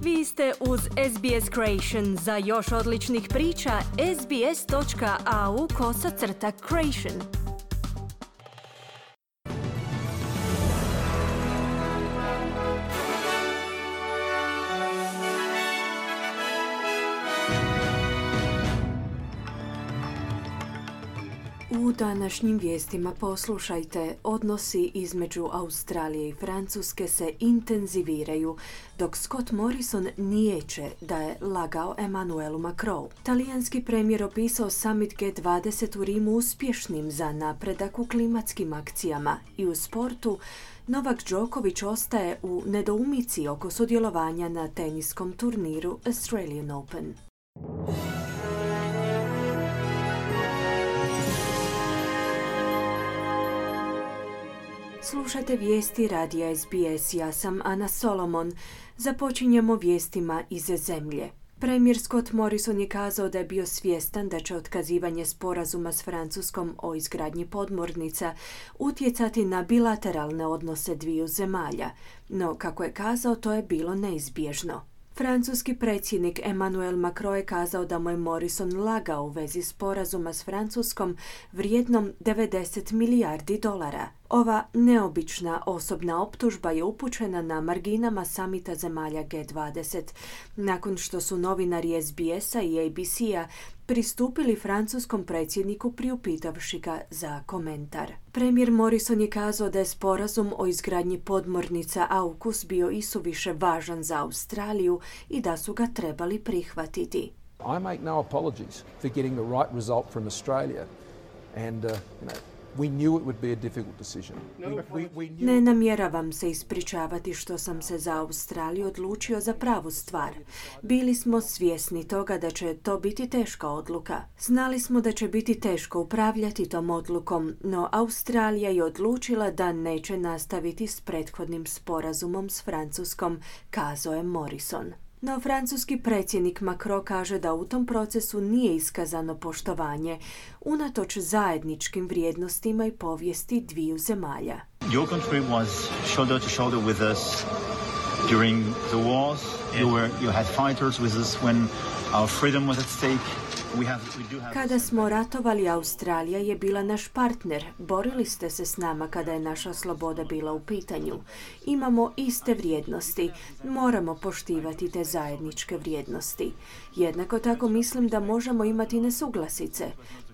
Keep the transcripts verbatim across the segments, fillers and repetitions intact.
Vi ste uz S B S Creation. Za još odličnih priča, sbs.au kosacrta creation. U današnjim vijestima poslušajte, odnosi između Australije i Francuske se intenziviraju, dok Scott Morrison niječe da je lagao Emmanuelu Macronu. Talijanski premijer opisao summit G dvadeset u Rimu uspješnim za napredak u klimatskim akcijama i u sportu. Novak Đoković ostaje u nedoumici oko sudjelovanja na teniskom turniru Australian Open. Slušajte vijesti radija S B S, ja sam Ana Solomon. Započinjemo vijestima iz zemlje. Premijer Scott Morrison je kazao da je bio svjestan da će otkazivanje sporazuma s Francuskom o izgradnji podmornica utjecati na bilateralne odnose dviju zemalja, no kako je kazao, to je bilo neizbježno. Francuski predsjednik Emmanuel Macron je kazao da mu je Morrison lagao u vezi sporazuma s Francuskom vrijednom devedeset milijardi dolara. Ova neobična osobna optužba je upućena na marginama samita zemalja G dvadeset, nakon što su novinari S B S-a i A B C-a pristupili francuskom predsjedniku priupitavši ga za komentar. Premijer Morrison je kazao da je sporazum o izgradnji podmornica AUKUS bio isuviše važan za Australiju i da su ga trebali prihvatiti. I make no apologies for getting the right result from Australia and uh, you know We knew it would be a difficult decision. We, we, we knew... Ne namjeravam se ispričavati što sam se za Australiju odlučio za pravu stvar. Bili smo svjesni toga da će to biti teška odluka. Znali smo da će biti teško upravljati tom odlukom, no Australija je odlučila da neće nastaviti s prethodnim sporazumom s Francuskom, kazao je Morrison. No francuski predsjednik Macron kaže da u tom procesu nije iskazano poštovanje, unatoč zajedničkim vrijednostima i povijesti dviju zemalja. Your country was shoulder to shoulder with us during the wars. You were, you had fighters with us when our freedom was at stake. We have, we do have... Kada smo ratovali, Australija je bila naš partner. Borili ste se s nama kada je naša sloboda bila u pitanju. Imamo iste vrijednosti. Moramo poštivati te zajedničke vrijednosti. Jednako tako mislim da možemo imati nesuglasice.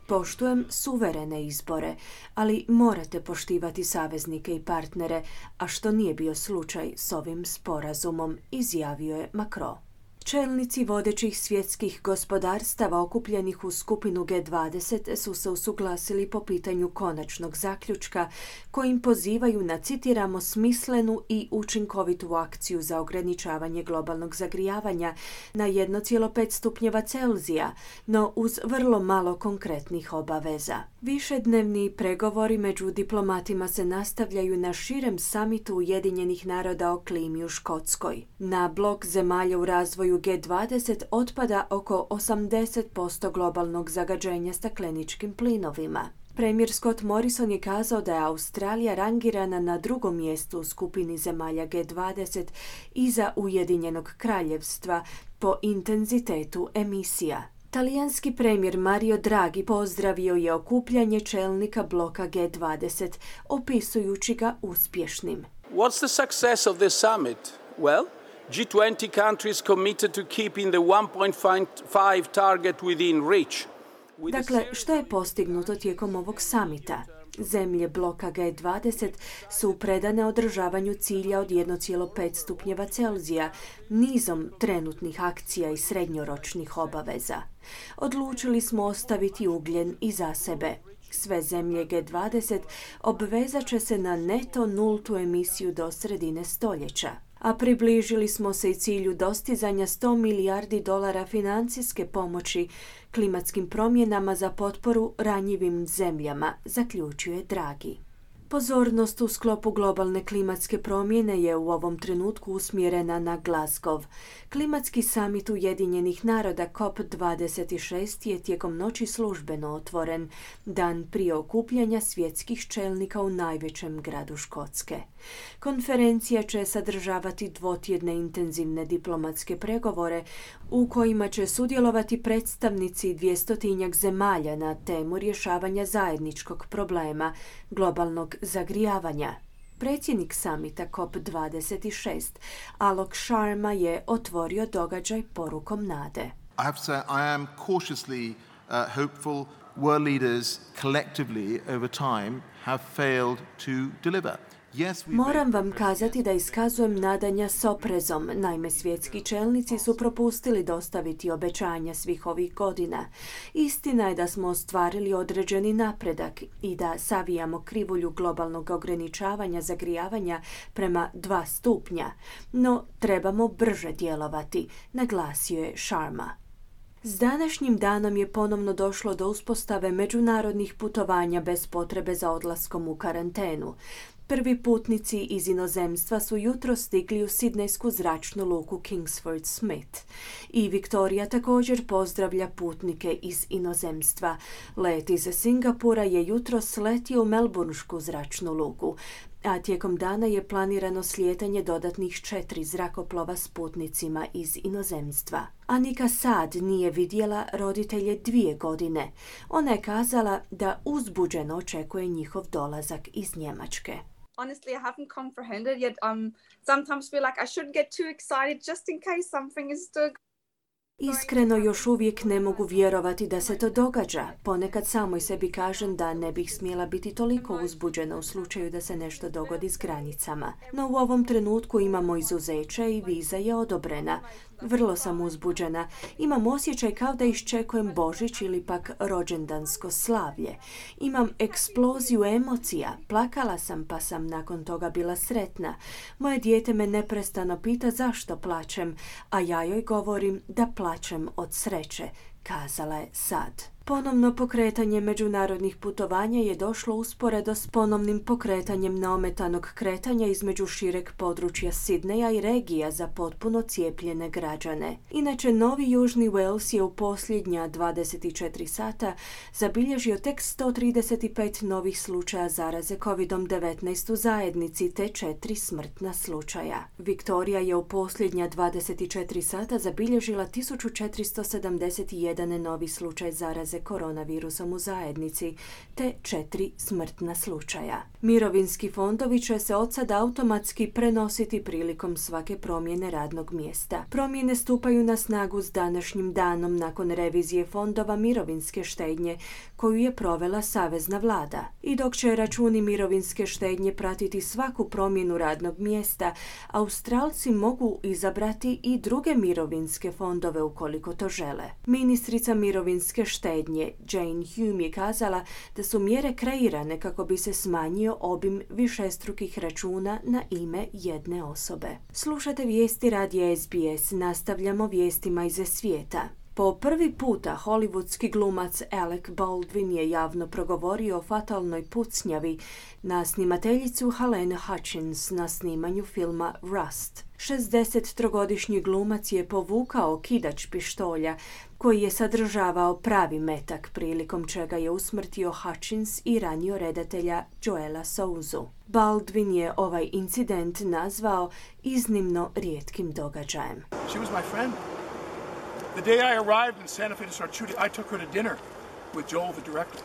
Poštujem suverene izbore, ali morate poštivati saveznike i partnere, a što nije bio slučaj s ovim sporazumom, izjavio je Macron. Čelnici vodećih svjetskih gospodarstava okupljenih u skupinu G dvadeset su se usuglasili po pitanju konačnog zaključka kojim pozivaju na, citiramo, smislenu i učinkovitu akciju za ograničavanje globalnog zagrijavanja na jedan zarez pet stupnjeva Celzija, no uz vrlo malo konkretnih obaveza. Višednevni pregovori među diplomatima se nastavljaju na širem samitu Ujedinjenih naroda o klimi u Škotskoj. Na blok zemalja u razvoju G dvadeset otpada oko osamdeset posto globalnog zagađenja stakleničkim plinovima. Premijer Scott Morrison je kazao da je Australija rangirana na drugom mjestu u skupini zemalja G dvadeset iza Ujedinjenog kraljevstva po intenzitetu emisija. Talijanski premijer Mario Draghi pozdravio je okupljanje čelnika bloka G dvadeset, opisujući ga uspješnim. What's the success of this summit? Well, G twenty countries committed to keeping the one point five target within reach. Dakle, što je postignuto tijekom ovog samita? Zemlje bloka G dvadeset su predane održavanju cilja od jedan zarez pet stupnjeva Celzija, nizom trenutnih akcija i srednjoročnih obaveza. Odlučili smo ostaviti ugljen iza sebe. Sve zemlje G dvadeset obvezat će se na neto nultu emisiju do sredine stoljeća. A približili smo se i cilju dostizanja sto milijardi dolara financijske pomoći klimatskim promjenama za potporu ranjivim zemljama, zaključuje Draghi. Pozornost u sklopu globalne klimatske promjene je u ovom trenutku usmjerena na Glasgow. Klimatski samit Ujedinjenih naroda C O P dvadeset šest je tijekom noći službeno otvoren, dan prije okupljanja svjetskih čelnika u najvećem gradu Škotske. Konferencija će sadržavati dvotjedne intenzivne diplomatske pregovore u kojima će sudjelovati predstavnici dvjestotinjak zemalja na temu rješavanja zajedničkog problema, globalnog zagrijavanja. Predsjednik samita C O P dvadeset šest, Alok Sharma, je otvorio događaj porukom nade. I have to say I am cautiously uh, hopeful. World leaders collectively over time have failed to deliver. Moram vam kazati da iskazujem nadanja s oprezom. Naime, svjetski čelnici su propustili dostaviti obećanja svih ovih godina. Istina je da smo ostvarili određeni napredak i da savijamo krivulju globalnog ograničavanja zagrijavanja prema dva stupnja, no trebamo brže djelovati, naglasio je Sharma. S današnjim danom je ponovno došlo do uspostave međunarodnih putovanja bez potrebe za odlaskom u karantenu. Prvi putnici iz inozemstva su jutro stigli u sidnejsku zračnu luku Kingsford Smith. I Viktorija također pozdravlja putnike iz inozemstva. Let iz Singapura je jutro sletio u melburnsku zračnu luku, a tijekom dana je planirano slijetanje dodatnih četiri zrakoplova s putnicima iz inozemstva. Anika Sad nije vidjela roditelje dvije godine. Ona je kazala da uzbuđeno očekuje njihov dolazak iz Njemačke. Honestly, I haven't comprehended yet. Um, sometimes feel like I shouldn't get too excited just in case something is still. Iskreno još uvijek ne mogu vjerovati da se to događa. Ponekad samoj sebi kažem da ne bih smjela biti toliko uzbuđena u slučaju da se nešto dogodi s granicama. No u ovom trenutku imamo izuzeće i viza je odobrena. Vrlo sam uzbuđena. Imam osjećaj kao da iščekujem Božić ili pak rođendansko slavlje. Imam eksploziju emocija. Plakala sam pa sam nakon toga bila sretna. Moje dijete me neprestano pita zašto plačem, a ja joj govorim da plačem od sreće, kazala je Sad. Ponovno pokretanje međunarodnih putovanja je došlo usporedo s ponovnim pokretanjem neometanog kretanja između šireg područja Sidneja i regija za potpuno cijepljene građane. Inače, Novi Južni Wales je u posljednja dvadeset četiri sata zabilježio tek sto trideset pet novih slučaja zaraze kovid devetnaest u zajednici te četiri smrtna slučaja. Viktorija je u posljednja dvadeset četiri sata zabilježila tisuću četiristo sedamdeset jedan novi slučaj zaraze koronavirusom u zajednici, te četiri smrtna slučaja. Mirovinski fondovi će se od sad automatski prenositi prilikom svake promjene radnog mjesta. Promjene stupaju na snagu s današnjim danom nakon revizije fondova mirovinske štednje koju je provela savezna vlada. I dok će računi mirovinske štednje pratiti svaku promjenu radnog mjesta, Australci mogu izabrati i druge mirovinske fondove ukoliko to žele. Ministrica mirovinske štednje Jane Hume je kazala da su mjere kreirane kako bi se smanjio obim višestrukih računa na ime jedne osobe. Slušate vijesti radija S B S, nastavljamo vijestima iz svijeta. Po prvi puta hollywoodski glumac Alec Baldwin je javno progovorio o fatalnoj pucnjavi na snimateljicu Helene Hutchins na snimanju filma Rust. šezdesettrogodišnji glumac je povukao kidač pištolja koji je sadržavao pravi metak, prilikom čega je usmrtio Hutchins i ranio redatelja Joela Souzu. Baldwin je ovaj incident nazvao iznimno rijetkim događajem. She was my friend. The day I arrived in Santa Fe to start shooting, I took her to dinner with Joel, the director.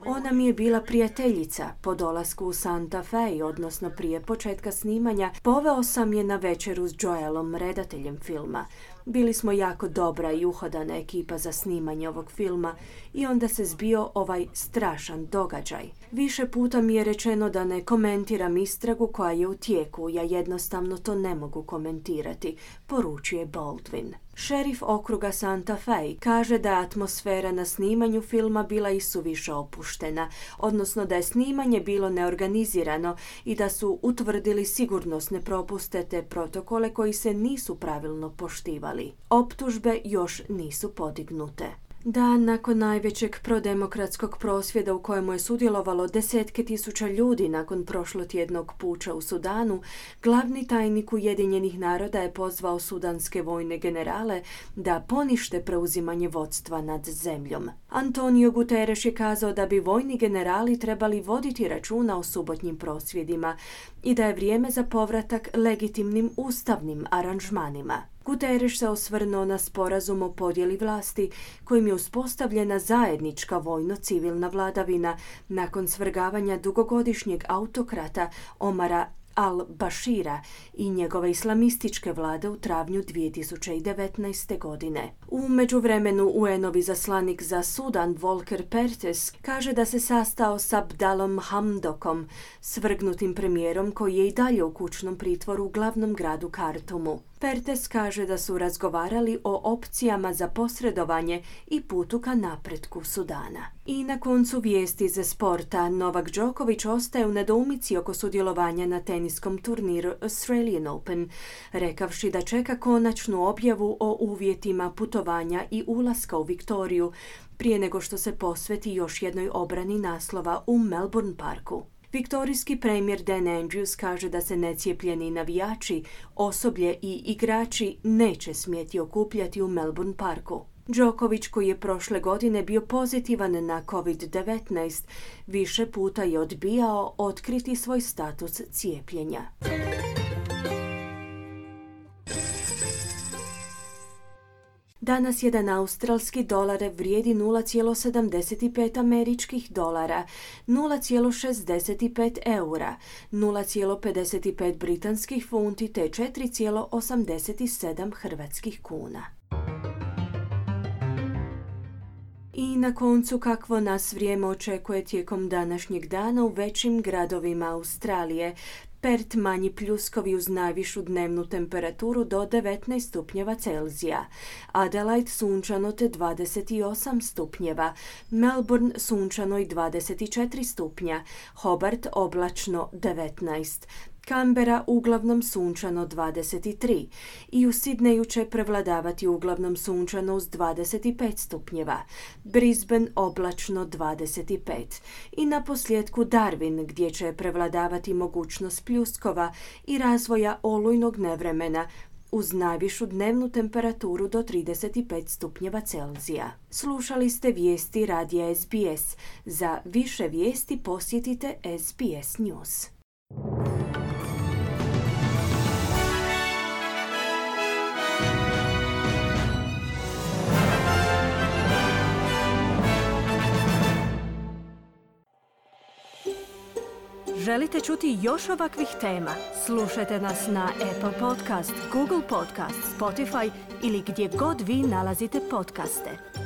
Ona mi je bila prijateljica. Po dolasku u Santa Fe, odnosno prije početka snimanja, poveo sam je na večeru s Joelom, redateljem filma. Bili smo jako dobra i uhodana ekipa za snimanje ovog filma i onda se zbio ovaj strašan događaj. Više puta mi je rečeno da ne komentiram istragu koja je u tijeku, ja jednostavno to ne mogu komentirati, poručuje Baldwin. Šerif okruga Santa Fe kaže da je atmosfera na snimanju filma bila isuviše opuštena, odnosno da je snimanje bilo neorganizirano i da su utvrdili sigurnosne propuste te protokole koji se nisu pravilno poštivali. Optužbe još nisu podignute. Dan nakon najvećeg prodemokratskog prosvjeda u kojemu je sudjelovalo desetke tisuća ljudi nakon prošlotjednog puča u Sudanu, glavni tajnik Ujedinjenih naroda je pozvao sudanske vojne generale da ponište preuzimanje vodstva nad zemljom. Antonio Guterres je kazao da bi vojni generali trebali voditi računa o subotnjim prosvjedima i da je vrijeme za povratak legitimnim ustavnim aranžmanima. Guterres se osvrnuo na sporazum o podjeli vlasti kojim je uspostavljena zajednička vojno-civilna vladavina nakon svrgavanja dugogodišnjeg autokrata Omara al-Bashira i njegove islamističke vlade u travnju dvije tisuće devetnaeste. godine. U međuvremenu U N-ovi zaslanik za Sudan Volker Perthes kaže da se sastao s Abdalom Hamdokom, svrgnutim premijerom koji je i dalje u kućnom pritvoru u glavnom gradu Kartumu. Perthes kaže da su razgovarali o opcijama za posredovanje i putu ka napretku Sudana. I na koncu vijesti za sporta. Novak Đoković ostaje u nedoumici oko sudjelovanja na teniskom turniru Australian Open, rekavši da čeka konačnu objavu o uvjetima putovanja i ulaska u Viktoriju prije nego što se posveti još jednoj obrani naslova u Melbourne Parku. Viktorijski premijer Dan Andrews kaže da se necijepljeni navijači, osoblje i igrači neće smjeti okupljati u Melbourne Parku. Đoković, koji je prošle godine bio pozitivan na covid devetnaest, više puta je odbijao otkriti svoj status cijepljenja. Danas jedan australski dolar vrijedi nula zarez sedamdeset pet američkih dolara, nula zarez šezdeset pet eura, nula zarez pedeset pet britanskih funti te četiri zarez osamdeset sedam hrvatskih kuna. I na koncu kakvo nas vrijeme očekuje tijekom današnjeg dana u većim gradovima Australije. Perth manji pljuskovi uz najvišu dnevnu temperaturu do devetnaest stupnjeva Celzija. Adelaide sunčano te dvadeset osam stupnjeva. Melbourne sunčano i dvadeset četiri stupnja. Hobart oblačno devetnaest. Canberra uglavnom sunčano dvadeset tri i u Sidneju će prevladavati uglavnom sunčano uz dvadeset pet stupnjeva, Brisbane oblačno dvadeset pet i na posljedku Darwin gdje će prevladavati mogućnost pljuskova i razvoja olujnog nevremena uz najvišu dnevnu temperaturu do trideset pet stupnjeva Celzija. Slušali ste vijesti radija S B S. Za više vijesti posjetite S B S News. Želite čuti još ovakvih tema? Slušajte nas na Apple Podcast, Google Podcast, Spotify ili gdje god vi nalazite podcaste.